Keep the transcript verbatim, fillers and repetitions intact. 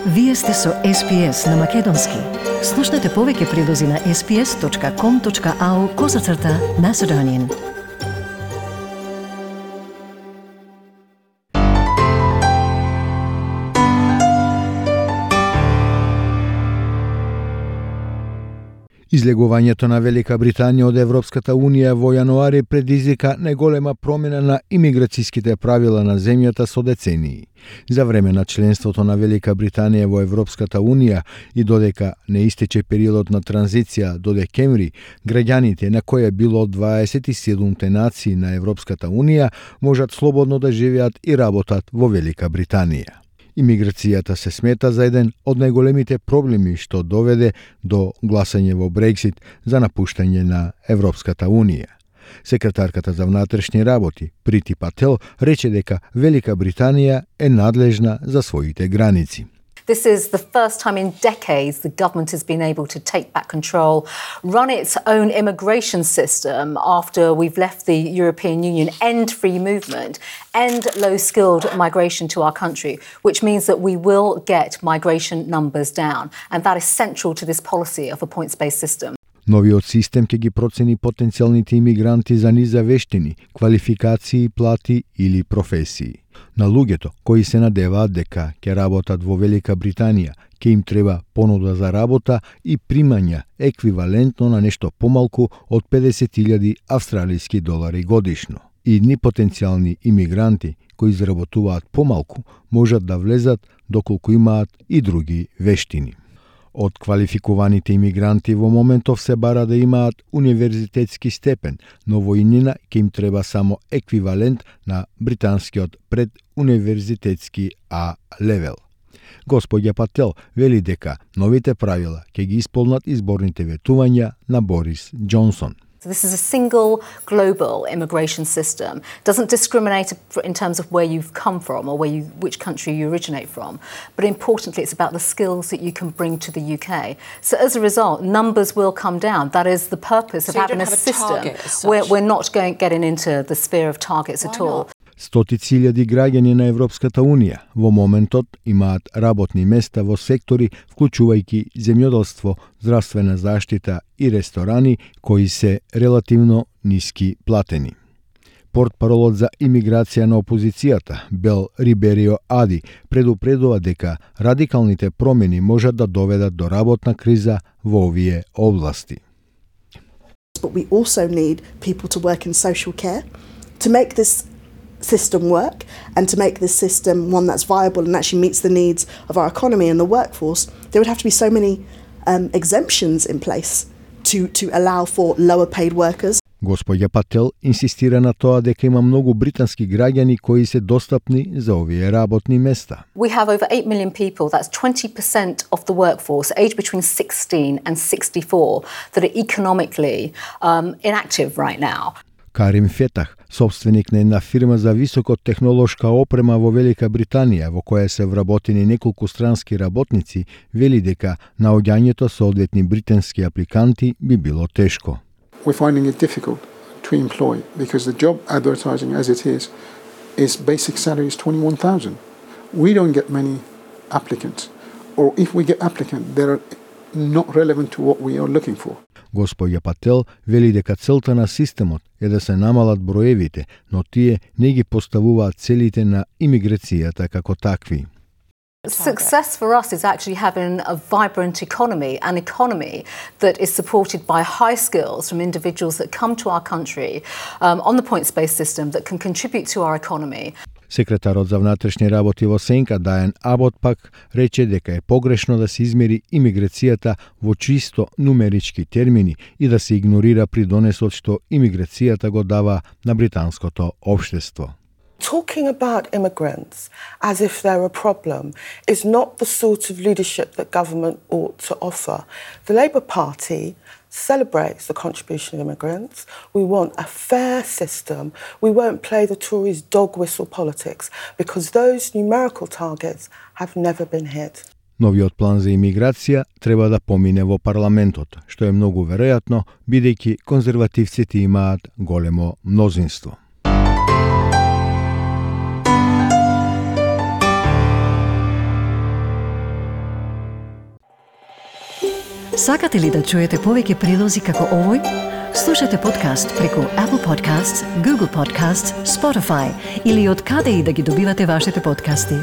Вие сте со Ес Би Ес на Македонски. Слушнете повеќе прилози на ес би ес точка ком точка ау козацрта Macedonian. Излегувањето на Велика Британија од Европската Унија во јануари предизвика најголема промена на имиграцијските правила на земјата со децении. За време на членството на Велика Британија во Европската Унија и додека не истече периодот на транзиција до декември, граѓаните на кои било од дваесет и седумте нации на Европската Унија можат слободно да живеат и работат во Велика Британија. Имиграцијата се смета за еден од најголемите проблеми што доведе до гласање во Брексит за напуштање на Европската Унија. Секретарката за внатрешни работи Прити Пател рече дека Велика Британија е надлежна за своите граници. This is the first time in decades the government has been able to take back control, run its own immigration system after we've left the European Union, end free movement, end low-skilled migration to our country, which means that we will get migration numbers down. And that is central to this policy of a points-based system. Новиот систем ќе ги процени потенцијалните имигранти за низа вештини, квалификации, плати или професии. На луѓето кои се надеваат дека ќе работат во Велика Британија, ќе им треба понуда за работа и примања еквивалентно на нешто помалку од педесет илјади австралиски долари годишно. Идни потенцијални имигранти кои заработуваат помалку можат да влезат доколку имаат и други вештини. Од квалификуваните имигранти во моментов се бара да имаат универзитетски степен, но во иднина ќе им треба само еквивалент на британскиот предуниверзитетски А левел. Господја Пател вели дека новите правила ќе ги исполнат изборните ветувања на Борис Џонсон. So this is a single global immigration system. It doesn't discriminate in terms of where you've come from or where you, which country you originate from. But importantly, it's about the skills that you can bring to the U K. So as a result, numbers will come down. That is the purpose of so having a, a system where we're not going getting into the sphere of targets Why at all. Not? Стотици илјади граѓани на Европската Унија во моментот имаат работни места во сектори вклучувајќи земјоделство, здравствена заштита и ресторани кои се релативно ниски платени. Портпаролот за имиграција на опозицијата, Бел Риберио Ади, предупредува дека радикалните промени можат да доведат до работна криза во овие области. But we also need people to work in social care to make this system work and to make this system one that's viable and actually meets the needs of our economy and the workforce. There would have to be so many um, exemptions in place to, to allow for lower paid workers. Господја Пател инсистира на тоа дека има многу британски граѓани кои се достапни за овие работни места. We have over eight million people, that's twenty percent of the workforce, aged between sixteen and sixty-four, that are economically um, inactive right now. Карим Фетах, собственик на една фирма за високотехнолошка опрема во Велика Британија, во која се вработени неколку странски работници, вели дека наоѓањето со одветни британски апликанти би било тешко. We're finding it difficult to employ because the job advertising as it is is basic salary is twenty-one thousand. We don't get many applicants, or if we get applicants, they're not relevant to what we are looking for. Господја Пател вели дека целта на системот е да се намалат броевите, но тие не ги поставуваат целите на имиграцијата како такви. Success for us is actually having a vibrant economy, an economy that is supported by high skills from individuals that come to our country um, on the points-based system that can contribute to our economy. Секретарот за внатрешни работи во Сенка, Дајан Абот, пак рече дека е погрешно да се измери имиграцијата во чисто нумерички термини и да се игнорира придонесот што имиграцијата го дава на британското општество. Talking about immigrants as if they're a problem is not the sort of leadership that government ought to offer. The Labour Party celebrates the contribution of immigrants. We want a fair system. We won't play the Tories' dog whistle politics because those numerical targets have never been hit. Новиот план за имиграција треба да помине во парламентот, што е многу веројатно, бидејќи конзервативците имаат големо мнозинство. Сакате ли да чуете повеќе прилози како овој? Слушате подкаст преку Apple Podcasts, Google Podcasts, Spotify или од каде и да ги добивате вашите подкасти.